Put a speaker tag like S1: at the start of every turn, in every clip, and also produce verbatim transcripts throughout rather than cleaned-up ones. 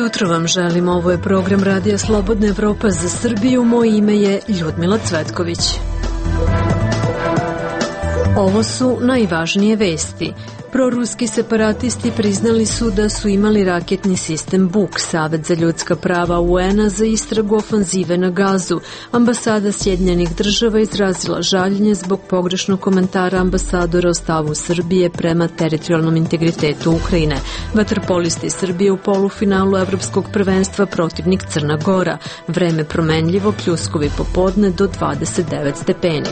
S1: Jutro vam želim, ovo je program Radija Slobodna Evropa za Srbiju, moje ime je Ljudmila Cvetković. Ovo su najvažnije vesti. Proruski separatisti priznali su da su imali raketni sistem Buk. Savet za ljudska prava U N-a za istragu ofanzive na Gazu. Ambasada Sjedinjenih država izrazila žaljenje zbog pogrešnog komentara ambasadora o stavu Srbije prema teritorijalnom integritetu Ukrajine. Vaterpolisti Srbije u polufinalu Evropskog prvenstva protivnik Crna Gora. Vreme promenljivo, pljuskovi popodne do dvadeset devet stepeni.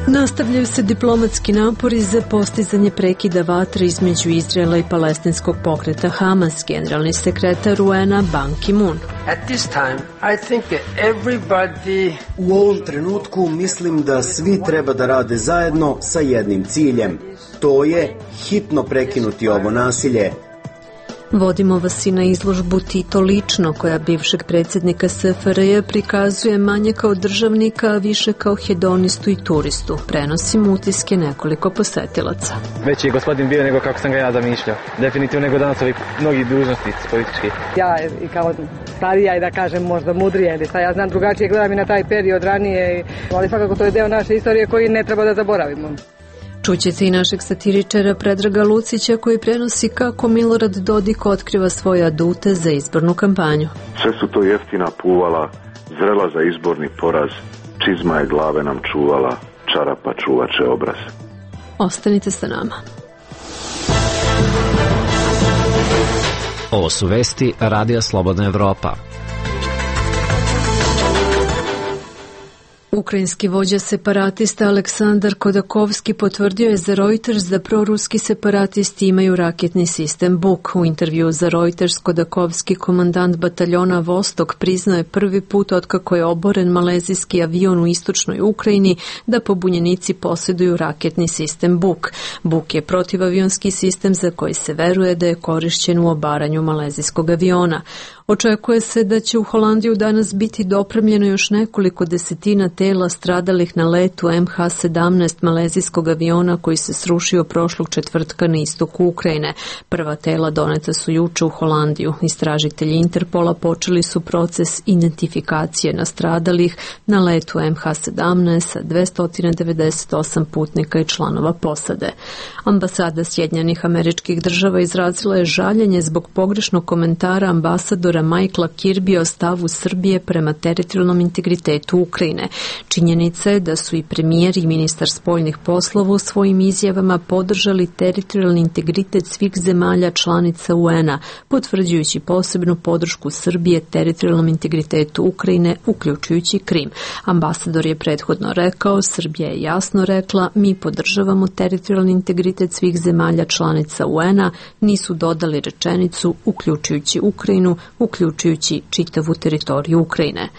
S1: Nastavljaju se diplomatski napori za postizanje prekida vatre između Izraela i palestinskog pokreta Hamas, generalni sekretar U N-a Ban Ki-moon.
S2: At this time, I think that everybody...
S3: U ovom trenutku mislim da svi treba da rade zajedno sa jednim ciljem. To je hitno prekinuti ovo nasilje.
S1: Vodimo vas i na izložbu Tito lično, koja bivšeg predsjednika S F R J prikazuje manje kao državnika, a više kao hedonistu i turistu. Prenosimo utiske nekoliko posetilaca.
S4: Veći je gospodin bio nego kako sam ga ja zamišljao. Definitivno nego danas ovih mnogih dužnosti politički.
S5: Ja i kao starija i da kažem možda mudrija ili šta ja znam, drugačije gledam i na taj period ranije, ali svakako to je deo naše istorije koji ne treba da zaboravimo.
S1: Čućete i našeg satiričara Predraga Lucića koji prenosi kako Milorad Dodik otkriva svoje adute za izbornu kampanju.
S6: Sve su to jeftina puvala, zrela za izborni poraz, čizma je glave nam čuvala, čarapa čuvače obraz.
S1: Ostanite sa nama.
S7: Ovo su vesti Radija Slobodna Evropa.
S1: Ukrajinski vođa separatista Aleksandar Kodakovski potvrdio je za Reuters da proruski separatisti imaju raketni sistem Buk. U intervju za Reuters Kodakovski, komandant bataljona Vostok, priznao je prvi put otkako je oboren malezijski avion u istočnoj Ukrajini da pobunjenici posjeduju raketni sistem Buk. Buk je protivavionski sistem za koji se veruje da je korišćen u obaranju malezijskog aviona. Očekuje se da će u Holandiju danas biti dopremljeno još nekoliko desetina tela stradalih na letu M H sedamnaest malezijskog aviona koji se srušio prošlog četvrtka na istoku Ukrajine. Prva tela doneta su juče u Holandiju. Istražitelji Interpola počeli su proces identifikacije nastradalih na letu M H sedamnaest sa dvesta devedeset osam putnika i članova posade. Ambasada Sjedinjenih Američkih Država izrazila je žaljenje zbog pogrešnog komentara ambasadora Michaela Kirbya o stavu Srbije prema teritorijalnom integritetu Ukrajine. Činjenica je da su i premijer i ministar spoljnih poslova u svojim izjavama podržali teritorijalni integritet svih zemalja članica U N-a, potvrđujući posebnu podršku Srbije teritorijalnom integritetu Ukrajine, uključujući Krim. Ambasador je prethodno rekao, Srbija je jasno rekla, mi podržavamo teritorijalni integritet svih zemalja članica U N-a, nisu dodali rečenicu, uključujući Ukrajinu, uključujući čitavu teritoriju Ukrajine.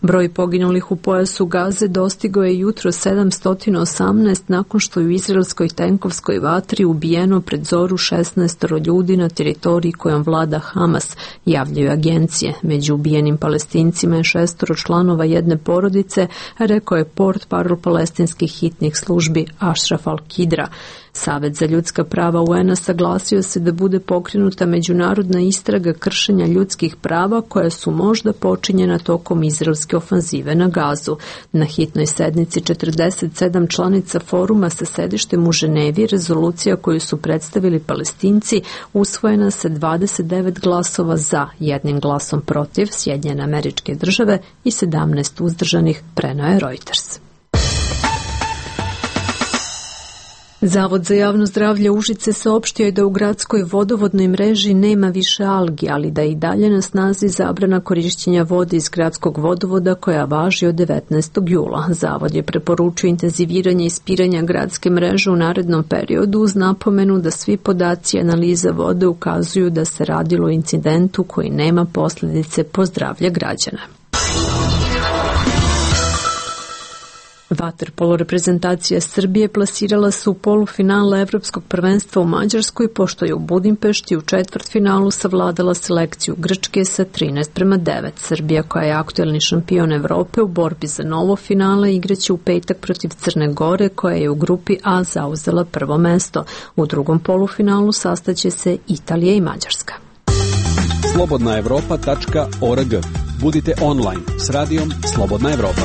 S1: Broj poginulih u pojasu Gaze dostigao je jutro sedamsto osamnaest nakon što je u izraelskoj tenkovskoj vatri ubijeno pred zoru šesnaest ljudi na teritoriji kojom vlada Hamas, javljaju agencije. Među ubijenim Palestincima je šestoro članova jedne porodice, rekao je portparol palestinskih hitnih službi Ashraf al-Kidra. Savet za ljudska prava U N-a saglasio se da bude pokrenuta međunarodna istraga kršenja ljudskih prava koja su možda počinjena tokom izraelske ofanzive na Gazu. Na hitnoj sednici četrdeset sedam članica foruma sa sedištem u Ženevi rezolucija koju su predstavili Palestinci usvojena sa dvadeset devet glasova za, jednim glasom protiv Sjedinjene Američke Države i sedamnaest uzdržanih, preneo je Reuters. Zavod za javno zdravlje Užice saopštio je da u gradskoj vodovodnoj mreži nema više algi, ali da je i dalje na snazi zabrana korišćenja vode iz gradskog vodovoda koja važi od devetnaestog jula. Zavod je preporučio intenziviranje ispiranja gradske mreže u narednom periodu uz napomenu da svi podaci analiza vode ukazuju da se radilo o incidentu koji nema posljedice po zdravlje građana. Vaterpolo reprezentacija Srbije plasirala se u polufinale Evropskog prvenstva u Mađarskoj, pošto je u Budimpešti u četvrtfinalu savladala selekciju Grčke sa trinaest prema devet. Srbija, koja je aktuelni šampion Evrope, u borbi za novo finale igraće u petak protiv Crne Gore, koja je u grupi A zauzela prvo mesto. U drugom polufinalu sastaće se Italija i Mađarska.
S8: slobodna evropa tačka org. Budite online s radijom Slobodna Evropa.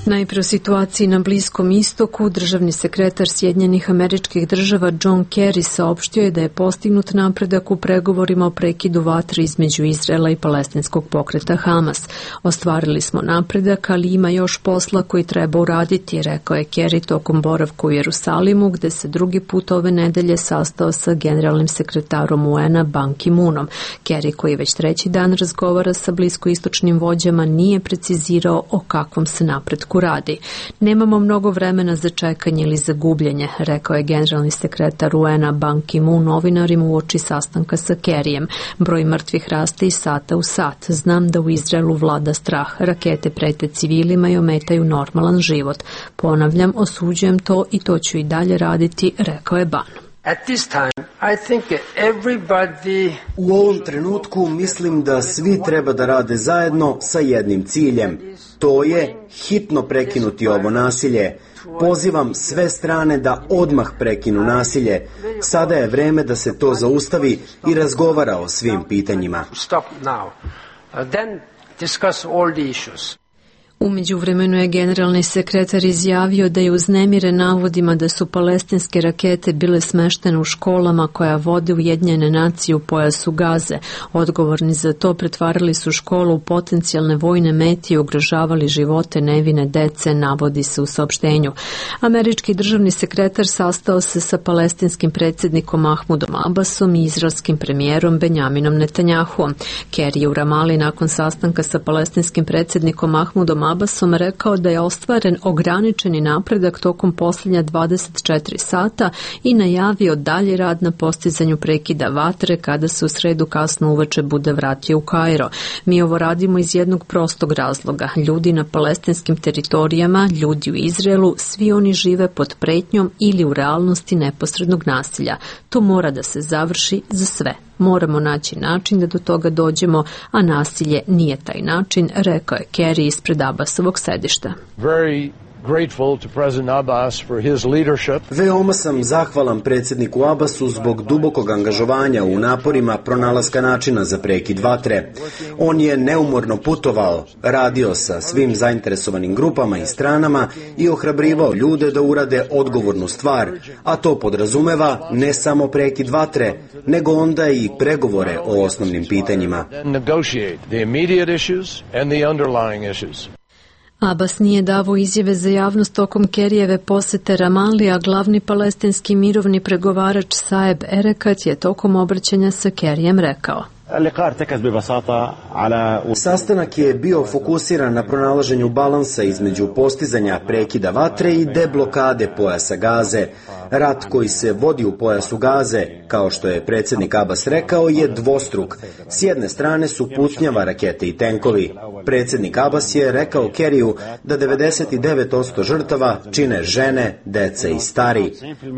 S1: Najpre o situaciji na Bliskom istoku. Državni sekretar Sjedinjenih Američkih Država John Kerry saopštio je da je postignut napredak u pregovorima o prekidu vatre između Izraela i palestinskog pokreta Hamas. Ostvarili smo napredak, ali ima još posla koji treba uraditi, rekao je Kerry tokom boravka u Jerusalimu, gde se drugi put ove nedelje sastao sa generalnim sekretarom U N-a Ban Ki-moonom. Kerry, koji već treći dan razgovara sa bliskoistočnim vođama, nije precizirao o kakvom se napretku radi. Nemamo mnogo vremena za čekanje ili za gubljenje, rekao je generalni sekretar U N-a Ban Ki-moon novinarima uoči sastanka sa Kerryjem. Broj mrtvih raste iz sata u sat. Znam da u Izraelu vlada strah. Rakete prete civilima i ometaju normalan život. Ponavljam, osuđujem to i to ću i dalje raditi, rekao je Ban.
S2: At this time, I think everybody...
S3: U ovom trenutku mislim da svi treba da rade zajedno sa jednim ciljem. To je hitno prekinuti ovo nasilje. Pozivam sve strane da odmah prekinu nasilje. Sada je vreme da se to zaustavi i razgovara o svim pitanjima.
S2: Stop now. Uh, then discuss all the issues.
S1: U međuvremenu je generalni sekretar izjavio da je uznemiren navodima da su palestinske rakete bile smeštene u školama koja vode Ujedinjene nacije u pojasu Gaze. Odgovorni za to pretvarali su školu u potencijalne vojne mete i ugrožavali živote nevine dece, navodi se u saopštenju. Američki državni sekretar sastao se sa palestinskim predsjednikom Mahmudom Abbasom i izraelskim premijerom Benjaminom Netanjahuom. Kerry je u Ramali nakon sastanka sa palestinskim predsjednikom Mahmudom Abbasom rekao da je ostvaren ograničeni napredak tokom posljednja dvadeset četiri sata i najavio dalji rad na postizanju prekida vatre kada se u sredu kasno uveče bude vratio u Kairo. Mi ovo radimo iz jednog prostog razloga. Ljudi na palestinskim teritorijama, ljudi u Izraelu, svi oni žive pod pretnjom ili u realnosti neposrednog nasilja. To mora da se završi za sve. Moramo naći način da do toga dođemo, a nasilje nije taj način, rekao je Kerry ispred Abbasovog sedišta.
S9: Very grateful to President Abbas for his leadership.
S3: Veoma sam zahvalan predsjedniku Abbasu zbog dubokog angažovanja u naporima pronalaska načina za prekid vatre. On je neumorno putovao, radio sa svim zainteresovanim grupama i stranama i ohrabrivao ljude da urade odgovornu stvar, a to podrazumeva ne samo prekid vatre, nego onda i pregovore o osnovnim pitanjima.
S9: Negotiate the immediate issues and the underlying issues.
S1: Abbas nije davao izjave za javnost tokom Kerryjeve posete Ramali, a glavni palestinski mirovni pregovarač Saeb Erekat je tokom obraćanja sa Kerryjem rekao:
S3: Sastanak je bio fokusiran na pronalaženju balansa između postizanja prekida vatre i deblokade pojasa Gaze. Rat koji se vodi u pojasu Gaze, kao što je predsjednik Abbas rekao, je dvostruk. S jedne strane su putnjava, rakete i tenkovi. Predsjednik Abbas je rekao Kerriju da devedeset devet posto žrtava čine žene, dece i stari.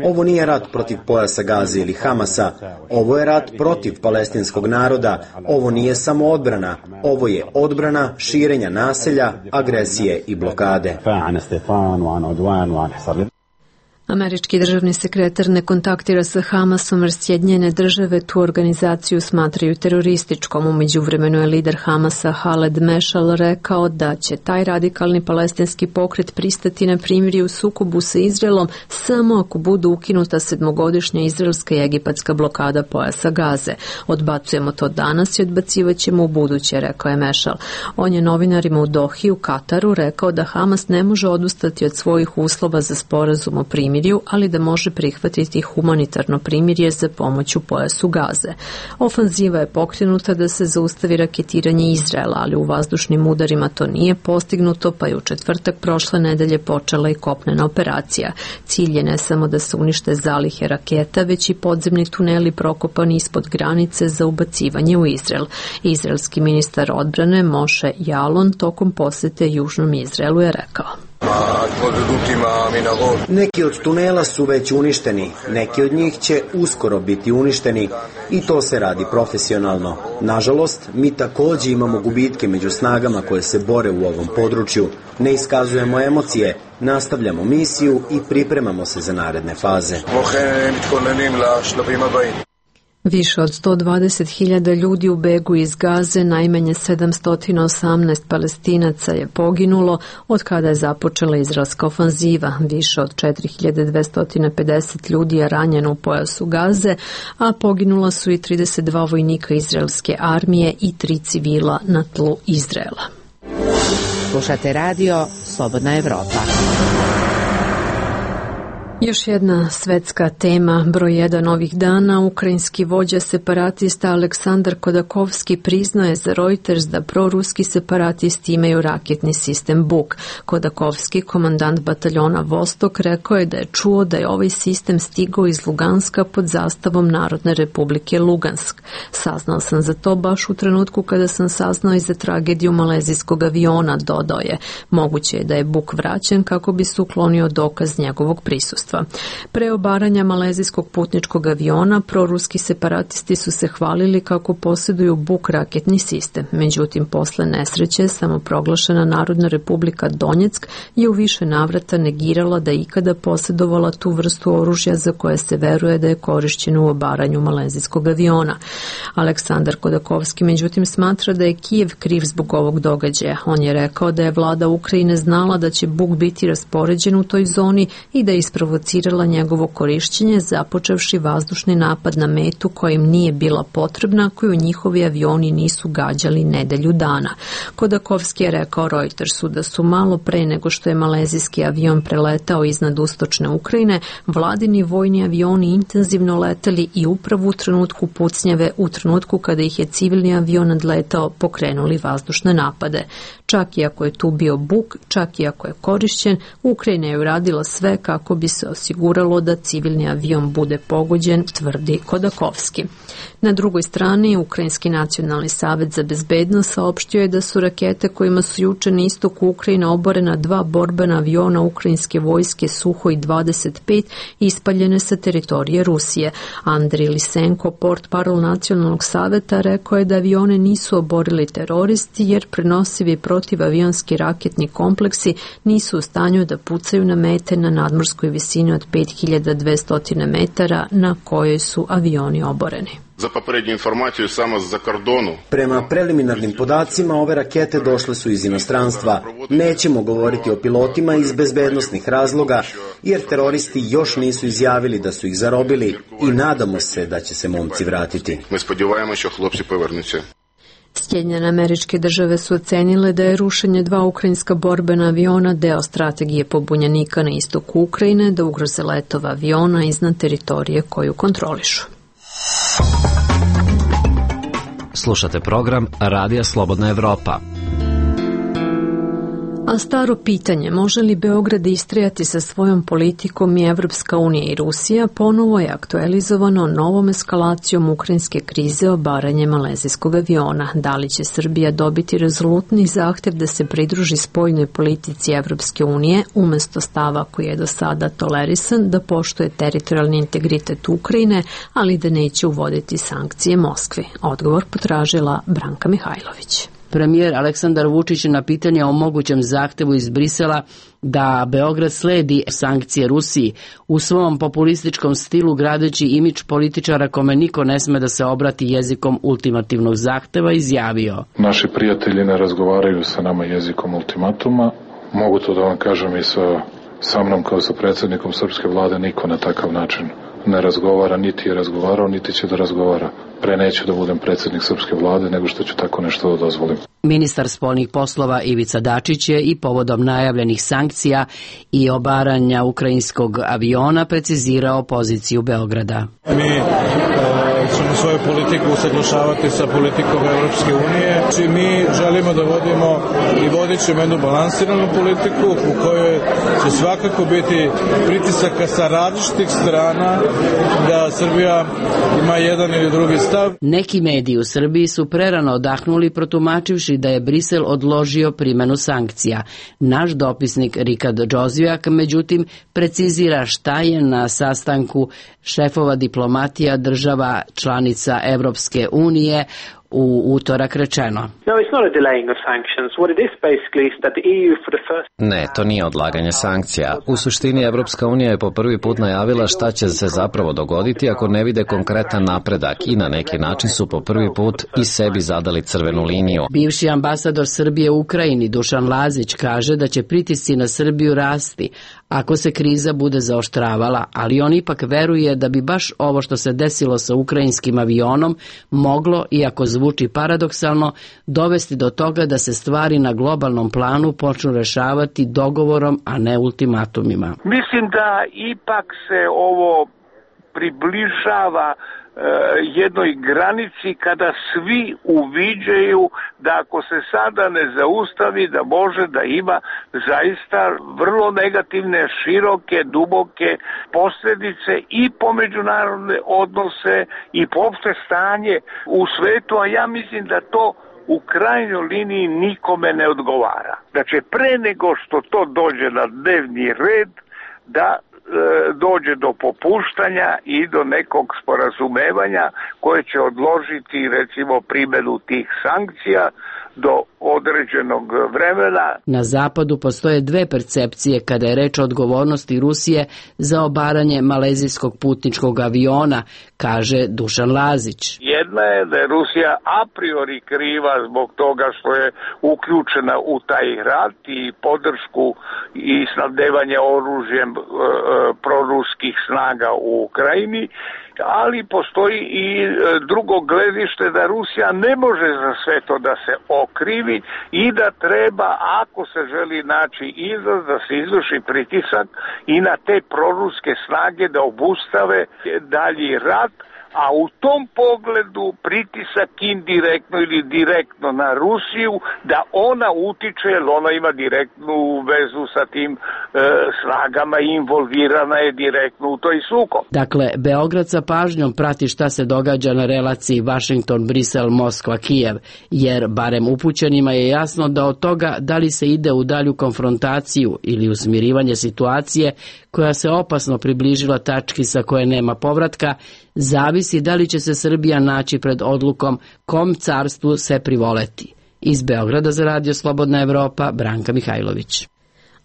S3: Ovo nije rat protiv pojasa Gaze ili Hamasa. Ovo je rat protiv palestinskog naroda. Ovo nije samo odbrana. Ovo je odbrana širenja naselja, agresije i blokade.
S1: Američki državni sekretar ne kontaktira sa Hamasom jer Sjedinjene države tu organizaciju smatraju terorističkom. U međuvremenu je lider Hamasa Haled Mešal rekao da će taj radikalni palestinski pokret pristati na primirje u sukobu sa Izraelom samo ako budu ukinuta sedmogodišnja izraelska i egipatska blokada pojasa Gaze. Odbacujemo to danas i odbacivaćemo u buduće, rekao je Mešal. On je novinarima u Dohi u Kataru rekao da Hamas ne može odustati od svojih uslova za sporazum o primirju primirju, ali da može prihvatiti humanitarno primirje za pomoć u pojasu Gaze. Ofanziva je pokrenuta da se zaustavi raketiranje Izraela, ali u vazdušnim udarima to nije postignuto, pa je u četvrtak prošle nedelje počela i kopnena operacija. Cilj je ne samo da se unište zalihe raketa, već i podzemni tuneli prokopani ispod granice za ubacivanje u Izrael. Izraelski ministar odbrane Moshe Yaalon tokom posete Južnom Izraelu je rekao:
S3: neki od tunela su već uništeni, neki od njih će uskoro biti uništeni i to se radi profesionalno. Nažalost, mi također imamo gubitke među snagama koje se bore u ovom području. Ne iskazujemo emocije, nastavljamo misiju i pripremamo se za naredne faze.
S1: Više od sto dvadeset hiljada ljudi u begu iz Gaze, najmanje sedamsto osamnaest Palestinaca je poginulo od kada je započela izraelska ofanziva. Više od četiri hiljade dvesta pedeset ljudi je ranjeno u pojasu Gaze, a poginula su i trideset dva vojnika izraelske armije i tri civila na tlu Izraela.
S10: Slušate radio Slobodna Evropa.
S1: Još jedna svetska tema, broj jedan ovih dana, ukrajinski vođa separatista Aleksandar Kodakovski priznao je za Reuters da proruski separatisti imaju raketni sistem Buk. Kodakovski, komandant bataljona Vostok, rekao je da je čuo da je ovaj sistem stigao iz Luganska pod zastavom Narodne republike Lugansk. Saznao sam za to baš u trenutku kada sam saznao i za tragediju malezijskog aviona, dodao je. Moguće je da je Buk vraćen kako bi se uklonio dokaz njegovog prisustva. Pre obaranja malezijskog putničkog aviona, proruski separatisti su se hvalili kako posjeduju Buk raketni sistem. Međutim, posle nesreće, samoproglašena Narodna republika Donjeck je u više navrata negirala da je ikada posjedovala tu vrstu oružja za koje se veruje da je korišćeno u obaranju malezijskog aviona. Aleksandar Kodakovski međutim smatra da je Kijev kriv zbog ovog događaja. On je rekao da je vlada Ukrajine znala da će Buk biti raspoređen u toj zoni i da je isprovocirala njegovo korišćenje, započevši vazdušni napad na metu kojim nije bila potrebna, koju njihovi avioni nisu gađali nedelju dana. Kodakovski je rekao Reutersu da su malo pre nego što je malezijski avion preletao iznad istočne Ukrajine, vladini vojni avioni intenzivno leteli i upravo u trenutku pucnjave, u trenutku kada ih je civilni avion nadletao, pokrenuli vazdušne napade. Čak i ako je tu bio Buk, čak i ako je korišćen, Ukrajina je uradila sve kako bi se osiguralo da civilni avion bude pogođen, tvrdi Kodakovski. Na drugoj strani, Ukrajinski nacionalni savet za bezbednost saopštio je da su rakete kojima su juče na istoku Ukrajine oborena dva borbena aviona ukrajinske vojske Suhoj dvadeset pet ispaljene sa teritorije Rusije. Andrij Lisenko, portparol nacionalnog saveta, rekao je da avione nisu oborili teroristi jer prenosivi protivavionski raketni kompleksi nisu u stanju da pucaju na mete na nadmorskoj visini od pet hiljada dvesta metara na kojoj su avioni oboreni.
S11: Za poprednju informaciju samo za kordonu.
S3: Prema preliminarnim podacima ove rakete došle su iz inostranstva. Nećemo govoriti o pilotima iz bezbednosnih razloga jer teroristi još nisu izjavili da su ih zarobili i nadamo se da će se momci vratiti.
S11: Mi spodjevajamo što hlopci povrnuće.
S1: Sjedinjene Američke Države su ocenile da je rušenje dva ukrajinska borbena aviona deo strategije pobunjenika na istoku Ukrajine da ugroze letova aviona iznad teritorije koju kontrolišu.
S7: Slušate program Radija Slobodna Evropa.
S1: A staro pitanje, može li Beograd istrajati sa svojom politikom i Evropska unija i Rusija, ponovo je aktualizovano novom eskalacijom ukrajinske krize obaranje malezijskog aviona. Da li će Srbija dobiti rezolutni zahtev da se pridruži spoljnoj politici Evropske unije, umesto stava koji je do sada tolerisan, da poštuje teritorijalni integritet Ukrajine, ali da neće uvoditi sankcije Moskvi? Odgovor potražila Branka Mihajlović.
S10: Premijer Aleksandar Vučić na pitanje o mogućem zahtevu iz Brisela da Beograd sledi sankcije Rusiji u svom populističkom stilu gradeći imidž političara kome niko ne sme da se obrati jezikom ultimativnog zahteva izjavio.
S12: Naši prijatelji ne razgovaraju sa nama jezikom ultimatuma. Mogu to da vam kažem i sa, sa mnom kao sa predsjednikom srpske vlade niko na takav način ne razgovara, niti je razgovarao, niti će da razgovara. Pre neću da budem predsjednik srpske vlade, nego što ću tako nešto da dozvolim.
S10: Ministar spoljnih poslova Ivica Dačić je i povodom najavljenih sankcija i obaranja ukrajinskog aviona precizirao poziciju Beograda.
S13: Mi e, ćemo svoju politiku usaglašavati sa politikom Evropske unije. Či mi želimo da vodimo i vodit ćemo jednu balansiranu politiku u kojoj će svakako biti pritisaka sa različitih strana da Srbija ima jedan ili drugi stav.
S10: Neki mediji u Srbiji su prerano odahnuli protumačivši da je Brisel odložio primjenu sankcija. Naš dopisnik Rikard Džozijak, međutim, precizira šta je na sastanku šefova diplomatija država članica Evropske unije u utorak rečeno.
S7: Ne, to nije odlaganje sankcija. U suštini Evropska unija je po prvi put najavila šta će se zapravo dogoditi ako ne vide konkretan napredak i na neki način su po prvi put i sebi zadali crvenu liniju.
S10: Bivši ambasador Srbije u Ukrajini Dušan Lazić kaže da će pritisci na Srbiju rasti ako se kriza bude zaoštravala, ali on ipak veruje da bi baš ovo što se desilo sa ukrajinskim avionom moglo, iako zvuči paradoksalno, dovesti do toga da se stvari na globalnom planu počnu rešavati dogovorom, a ne ultimatumima.
S14: Mislim da ipak se ovo približava jednoj granici kada svi uviđaju da ako se sada ne zaustavi da može da ima zaista vrlo negativne, široke, duboke posljedice i po međunarodne odnose i po opšte stanje u svetu, a ja mislim da to u krajnjoj liniji nikome ne odgovara. Da će pre nego što to dođe na dnevni red da dođe do popuštanja i do nekog sporazumevanja koje će odložiti recimo primjenu tih sankcija do određenog vremena.
S10: Na zapadu postoje dve percepcije kada je reč o odgovornosti Rusije za obaranje malezijskog putničkog aviona, kaže Dušan Lazić.
S14: Jedna je da je Rusija a priori kriva zbog toga što je uključena u taj rat i podršku i snabdevanje oružjem e, e, proruskih snaga u Ukrajini, ali postoji i drugo gledište da Rusija ne može za sve to da se okrivi i da treba, ako se želi naći izlaz, da se izvrši pritisak i na te proruske snage da obustave dalji rat, a u tom pogledu pritisak indirektno ili direktno na Rusiju da ona utiče, jer ona ima direktnu vezu sa tim e, snagama i involvirana je direktno u toj sukob.
S10: Dakle, Beograd sa pažnjom prati šta se događa na relaciji Washington-Brisel-Moskva-Kijev, jer barem upućenima je jasno da od toga da li se ide u dalju konfrontaciju ili u smirivanje situacije koja se opasno približila tački sa koje nema povratka, zavisi da li će se Srbija naći pred odlukom kom carstvu se privoleti. Iz Beograda za Radio Slobodna Evropa, Branka Mihajlović.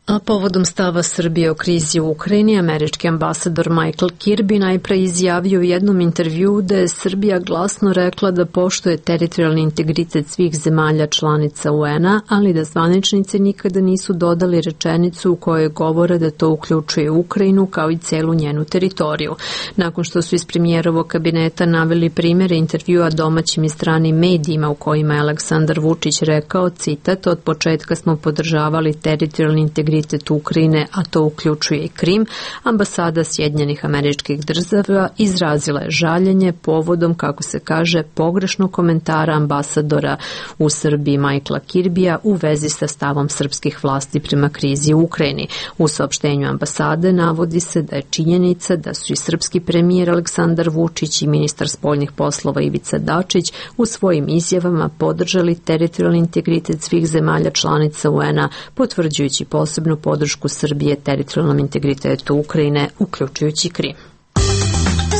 S1: A povodom stava Srbije o krizi u Ukrajini, američki ambasador Michael Kirby najpre izjavio u jednom intervjuu da je Srbija glasno rekla da poštuje teritorijalni integritet svih zemalja članica U N-a, ali da zvaničnici nikada nisu dodali rečenicu u kojoj govore da to uključuje Ukrajinu kao i celu njenu teritoriju. Nakon što su iz premijerovog kabineta naveli primjere intervjua domaćim i stranim medijima u kojima je Aleksandar Vučić rekao, citat, od početka smo podržavali teritorijalni integritet Ukrajine, a to uključuje i Krim, ambasada Sjedinjenih Američkih Država izrazila je žaljenje povodom, kako se kaže, pogrešnog komentara ambasadora u Srbiji Michaela Kirbija u vezi sa stavom srpskih vlasti prema krizi u Ukrajini. U saopštenju ambasade navodi se da je činjenica da su i srpski premijer Aleksandar Vučić i ministar spoljnih poslova Ivica Dačić u svojim izjavama podržali teritorijalni integritet svih zemalja članica U N-a, potvrđujući posebno podršku Srbije teritorijalnom integritetu Ukrajine, uključujući Krim.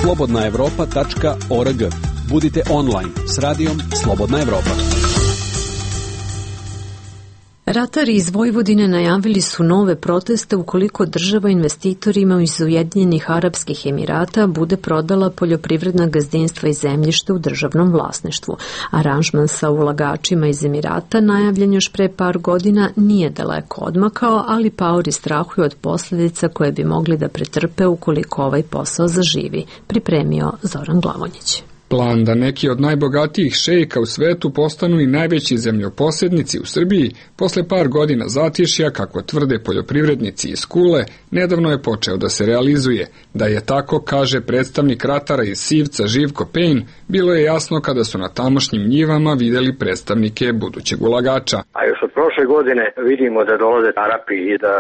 S8: slobodna evropa tačka org. Budite online s radijom Slobodna Evropa.
S1: Ratari iz Vojvodine najavili su nove proteste ukoliko država investitorima iz Ujedinjenih Arapskih Emirata bude prodala poljoprivredna gazdinstva i zemljište u državnom vlasništvu. Aranžman sa ulagačima iz Emirata, najavljen još pre par godina, nije daleko odmakao, ali paori strahuju od posljedica koje bi mogli da pretrpe ukoliko ovaj posao zaživi, pripremio Zoran Glavonjić.
S15: Plan da neki od najbogatijih šejka u svetu postanu i najveći zemljoposjednici u Srbiji posle par godina zatješja, kako tvrde poljoprivrednici iz Kule, nedavno je počeo da se realizuje. Da je tako, kaže predstavnik ratara iz Sivca Živko Pejn, bilo je jasno kada su na tamošnjim njivama videli predstavnike budućeg ulagača.
S16: A još od prošle godine vidimo da dolaze Arapi i da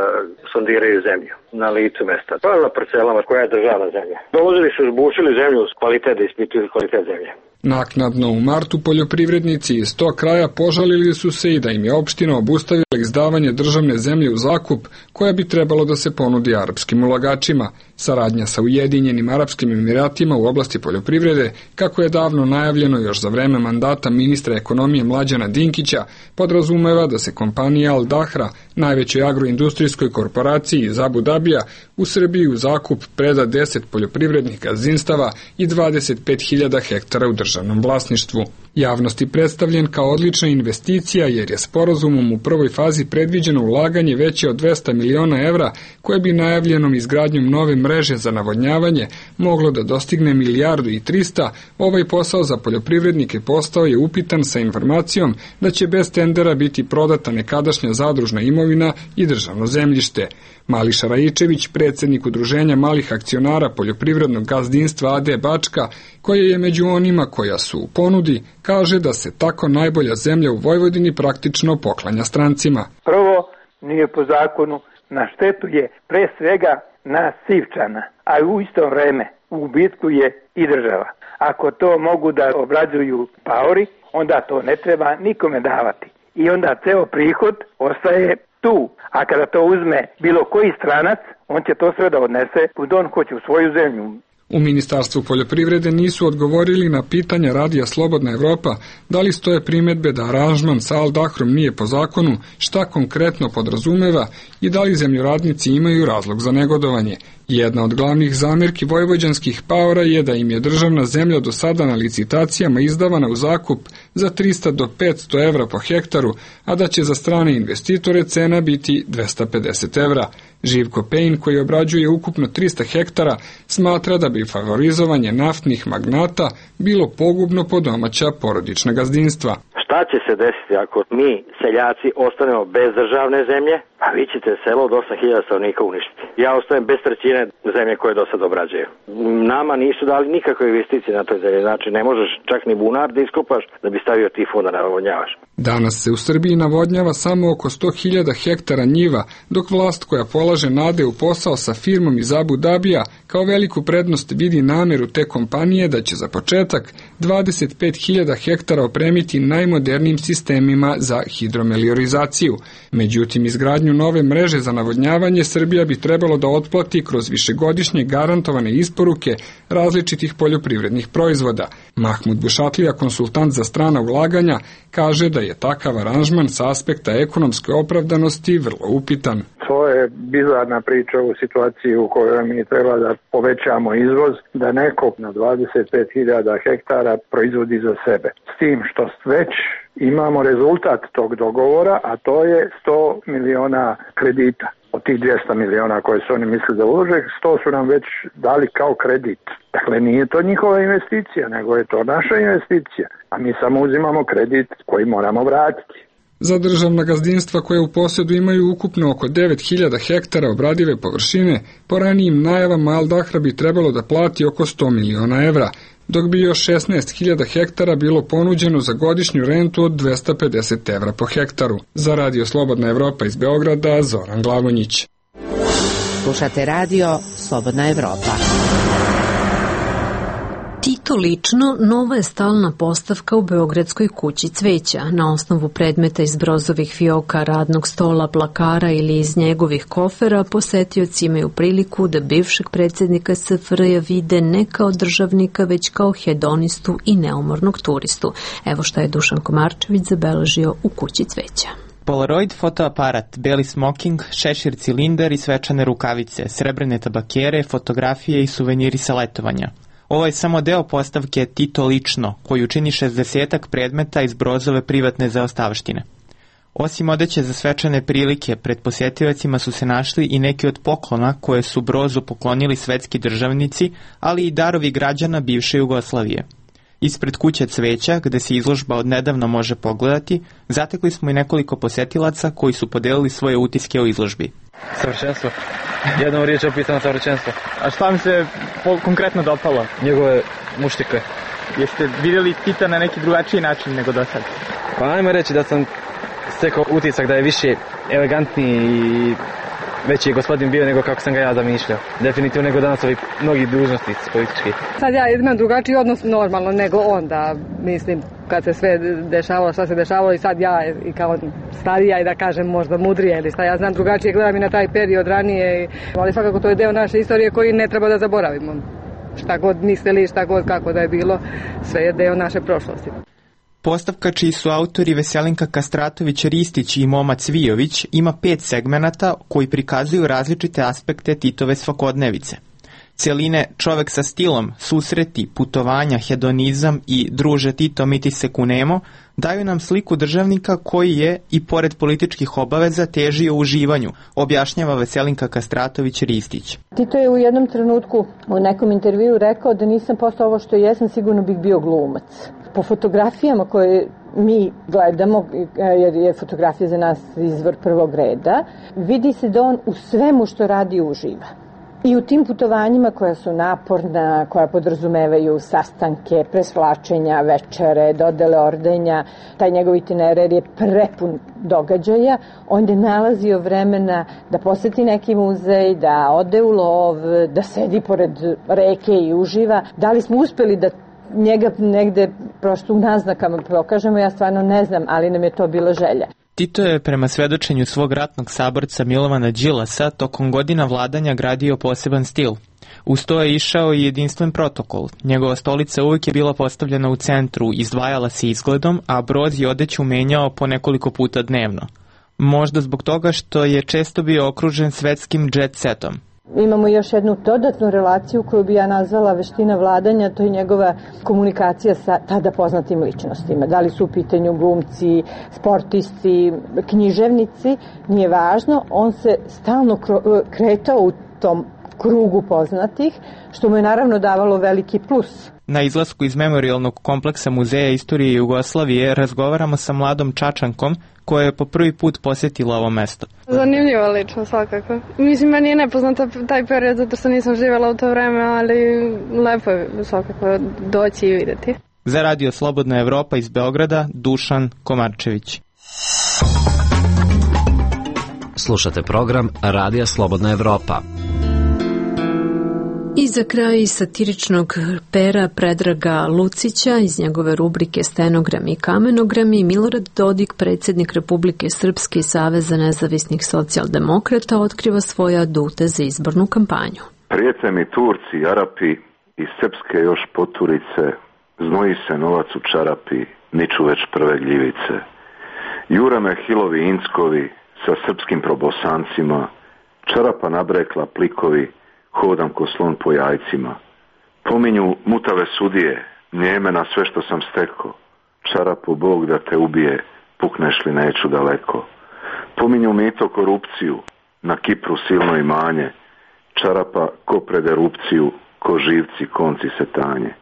S16: sondiraju zemlju na licu mesta. To je na parcelama koja je državna zemlja. Dolazili su, zbušili zemlju uz kvalitet, da ispituju kvalitet zemlje.
S15: Naknadno u martu poljoprivrednici iz tog kraja požalili su se i da im je opština obustavila izdavanje državne zemlje u zakup koja bi trebalo da se ponudi arapskim ulagačima. Saradnja sa Ujedinjenim Arapskim Emiratima u oblasti poljoprivrede, kako je davno najavljeno još za vreme mandata ministra ekonomije Mlađana Dinkića, podrazumeva da se kompanija Al Dahra, najvećoj agroindustrijskoj korporaciji iz Abu Dabija, u Srbiji u zakup preda deset poljoprivrednih gazdinstava i dvadeset pet hiljada hektara u državnom vlasništvu. Javnosti predstavljen kao odlična investicija jer je sporazumom u prvoj fazi predviđeno ulaganje veće od dvesta miliona evra koje bi najavljenom izgradnjom nove mreže za navodnjavanje moglo da dostigne milijardu i trista. Ovaj posao za poljoprivrednike postao je upitan sa informacijom da će bez tendera biti prodata nekadašnja zadružna imovina i državno zemljište. Mališa Raičević, predsjednik Udruženja malih akcionara poljoprivrednog gazdinstva A D Bačka, koje je među onima koja su u ponudi, kaže da se tako najbolja zemlja u Vojvodini praktično poklanja strancima.
S17: Prvo, nije po zakonu, na štetu je pre svega nas Sivčana, a u isto vreme u gubitku je i država. Ako to mogu da obrađuju paori, onda to ne treba nikome davati. I onda ceo prihod ostaje tu. A kada to uzme bilo koji stranac, on će to sve da odnese kud on hoće u svoju zemlju.
S15: U Ministarstvu poljoprivrede nisu odgovorili na pitanja Radija Slobodna Evropa da li stoje primedbe da aranžman sa Al Dahrom nije po zakonu, šta konkretno podrazumeva i da li zemljoradnici imaju razlog za negodovanje. Jedna od glavnih zamirki vojvođanskih paora je da im je državna zemlja do sada na licitacijama izdavana u zakup za trista do petsto evra po hektaru, a da će za strane investitore cena biti dvesta pedeset evra. Živko Pejn, koji obrađuje ukupno trista hektara, smatra da bi favorizovanje naftnih magnata bilo pogubno po domaća porodična gazdinstva.
S16: Šta će se desiti ako mi, seljaci, ostanemo bez državne zemlje? Pa vi ćete selo od osam hiljada stanovnika uništiti. Ja ostajem bez trećine zemlje koje do sad obrađuju. Nama nisu dali nikakve investicije na toj zemlji, znači ne možeš čak ni bunar da iskopaš da bi stavio tifon da navodnjavaš.
S15: Danas se u Srbiji navodnjava samo oko sto hiljada hektara njiva, dok vlast koja polaže nade u posao sa firmom iz Abu Dabija kao veliku prednost vidi nameru te kompanije da će za početak dvadeset pet hiljada hektara opremiti najmodernijim sistemima za hidromeliorizaciju. Međutim, izgradnju nove mreže za navodnjavanje Srbija bi trebalo da otplati kroz višegodišnje garantovane isporuke različitih poljoprivrednih proizvoda. Mahmud Bušatlija, konsultant za strana ulaganja, kaže da je takav aranžman sa aspekta ekonomske opravdanosti vrlo upitan.
S17: To je bizarna priča u situaciji u kojoj mi treba da povećamo izvoz, da neko na dvadeset pet hiljada hektara proizvodi za sebe. S tim što već imamo rezultat tog dogovora, a to je sto miliona kredita. Od tih dvesta miliona koje su oni mislili da ulože, sto su nam već dali kao kredit. Dakle, nije to njihova investicija, nego je to naša investicija, a mi samo uzimamo kredit koji moramo vratiti.
S15: Za državna gazdinstva koje u posjedu imaju ukupno oko devet hiljada hektara obradive površine, po ranijim najavama Al Dahra bi trebalo da plati oko sto miliona evra, dok bi još šesnaest hiljada hektara bilo ponuđeno za godišnju rentu od dvesta pedeset evra po hektaru. Za Radio Slobodna Evropa iz Beograda, Zoran Glavonjić.
S18: Slušate Radio Slobodna Evropa.
S1: Tito lično nova je stalna postavka u Beogradskoj kući cveća. Na osnovu predmeta iz Brozovih fioka, radnog stola, plakara ili iz njegovih kofera, posetioci imaju priliku da bivšeg predsjednika S F R J vide ne kao državnika, već kao hedonistu i neumornog turistu. Evo šta je Dušan Komarčević zabeležio u kući cveća.
S19: Polaroid fotoaparat, beli smoking, šešir cilindar i svečane rukavice, srebrne tabakere, fotografije i suveniri sa letovanja. Ovo je samo deo postavke Tito lično, koju čini šezdesetak predmeta iz Brozove privatne zaostavštine. Osim odeće za svečane prilike, pred posjetiocima su se našli i neki od poklona koje su Brozu poklonili svetski državnici, ali i darovi građana bivše Jugoslavije. Ispred kuće cveća, gde se izložba od nedavno može pogledati, zatekli smo i nekoliko posjetilaca koji su podelili svoje utiske o izložbi.
S4: Savršenstvo. Jednom riječ opisano savršenstvo.
S20: A šta mi se konkretno dopalo?
S4: Njegove muštike.
S20: Jeste vidjeli Tita na neki drugačiji način nego do sad?
S4: Pa ajmo reći da sam stekao utisak da je više elegantniji i veći je gospodin bio nego kako sam ga ja zamišljao. Definitivno nego danas ovi mnogi dužnosnici politički.
S5: Sad ja imam drugačiji odnos normalno nego onda, mislim, kad se sve dešavalo, šta se dešavalo i sad ja i kao starija i da kažem možda mudrija ili šta, ja znam drugačije, gledam i na taj period ranije, ali svakako to je deo naše istorije koji ne treba da zaboravimo. Šta god mislili, šta god kako da je bilo, sve je deo naše prošlosti.
S19: Postavka čiji su autori Veselinka Kastratović-Ristić i Moma Cvijović ima pet segmenata koji prikazuju različite aspekte Titove svakodnevice. Celine Čovek sa stilom, susreti, putovanja, hedonizam i Druže Tito mi ti se kunemo daju nam sliku državnika koji je, i pored političkih obaveza, težio uživanju, objašnjava Veselinka Kastratović-Ristić.
S21: Tito je u jednom trenutku u nekom intervju rekao da nisam postao ovo što jesam, sigurno bih bio glumac. Po fotografijama koje mi gledamo, jer je fotografija za nas izvor prvog reda, vidi se da on u svemu što radi uživa. I u tim putovanjima koja su naporna, koja podrazumevaju sastanke, presvlačenja, večere, dodele ordenja, taj njegov itinerar je prepun događaja, on je nalazio vremena da poseti neki muzej, da ode u lov, da sedi pored reke i uživa. Da li smo uspeli da njega negde prosto u naznakama pokažemo, ja stvarno ne znam, ali nam je to bila želja.
S19: Tito je prema svedočenju svog ratnog saborca Milovana Đilasa tokom godina vladanja gradio poseban stil. Uz to je išao i jedinstven protokol. Njegova stolica uvijek je bila postavljena u centru, izdvajala se izgledom, a Broz je odeću menjao po nekoliko puta dnevno. Možda zbog toga što je često bio okružen svetskim jet setom.
S21: Imamo još jednu dodatnu relaciju koju bi ja nazvala veština vladanja, to je njegova komunikacija sa tada poznatim ličnostima. Da li su u pitanju glumci, sportisti, književnici, nije važno, on se stalno kretao u tom krugu poznatih, što mu je naravno davalo veliki plus.
S19: Na izlasku iz memorijalnog kompleksa Muzeja istorije Jugoslavije razgovaramo sa mladom Čačankom koja je po prvi put posjetila ovo mesto.
S22: Zanimljivo lično svakako. Mislim, meni je nepoznata taj period zato što nisam živjela u to vreme, ali lepo je svakako doći i vidjeti.
S19: Za Radio Slobodna Evropa iz Beograda, Dušan Komarčević.
S7: Slušate program Radija Slobodna Evropa.
S1: I za kraj satiričnog pera Predraga Lucića iz njegove rubrike Stenogrami i kamenogrami, Milorad Dodik, predsjednik Republike Srpske i Saveza nezavisnih socijaldemokrata, otkriva svoje adute za izbornu kampanju.
S6: Prijete mi Turci, Arapi i srpske još poturice, znoji se novac u čarapi, niču već prve gljivice. Jure me hilovi Inckovi sa srpskim probosancima, čarapa nabrekla plikovi, hodam ko slon po jajcima. Pominju mutave sudije, njeme na sve što sam steko. Čarapu Bog da te ubije, pukneš li neću daleko. Pominju mito korupciju, na Kipru silno imanje. Čarapa ko pred erupciju, ko živci konci se tanje.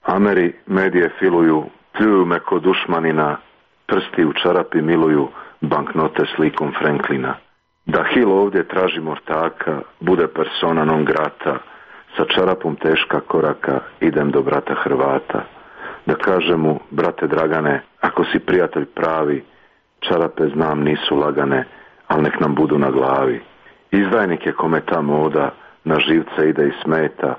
S6: Ameri medije filuju, pljuju me ko dušmanina, prsti u čarapi miluju, banknote slikom Franklina. Da Hil ovdje traži mortaka, bude persona non grata, sa čarapom teška koraka, idem do brata Hrvata. Da kaže mu, brate Dragane, ako si prijatelj pravi, čarape znam nisu lagane, al nek nam budu na glavi. Izdajnik je kome ta moda, na živce ide i smeta,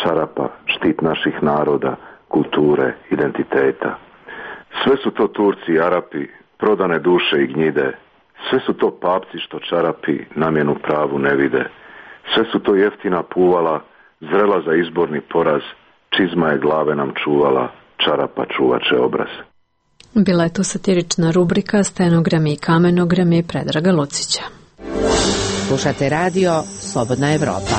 S6: čarapa, štit naših naroda, kulture, identiteta. Sve su to Turci i Arapi, prodane duše i gnjide, sve su to papci što čarapi namjenu pravu ne vide. Sve su to jeftina puvala, zrela za izborni poraz, čizma je glave nam čuvala, čarapa čuvače obraz.
S1: Bila je to satirična rubrika Stenogrami i kamenogrami Predraga Lucića.
S18: Slušate radio Slobodna Evropa.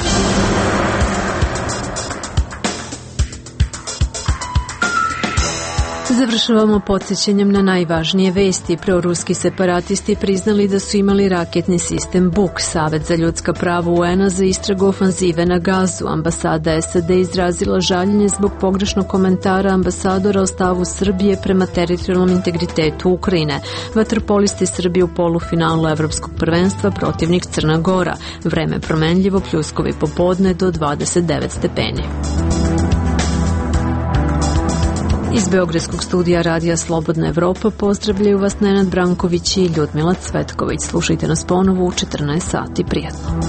S1: Završavamo podsjećanjem na najvažnije vesti. Proruski separatisti priznali da su imali raketni sistem Buk. Savet za ljudska prava U N-a za istragu ofanzive na Gazu. Ambasada S A D izrazila žaljenje zbog pogrešnog komentara ambasadora o stavu Srbije prema teritorijalnom integritetu Ukrajine. Vaterpolisti Srbije u polufinalu Evropskog prvenstva, protivnik Crna Gora. Vreme promenljivo, pljuskovi popodne do dvadeset devet stepeni. Iz Beogradskog studija Radija Slobodna Evropa pozdravljaju vas Nenad Branković i Ljudmila Cvetković. Slušajte nas ponovo u četrnaest sati. Prijatno.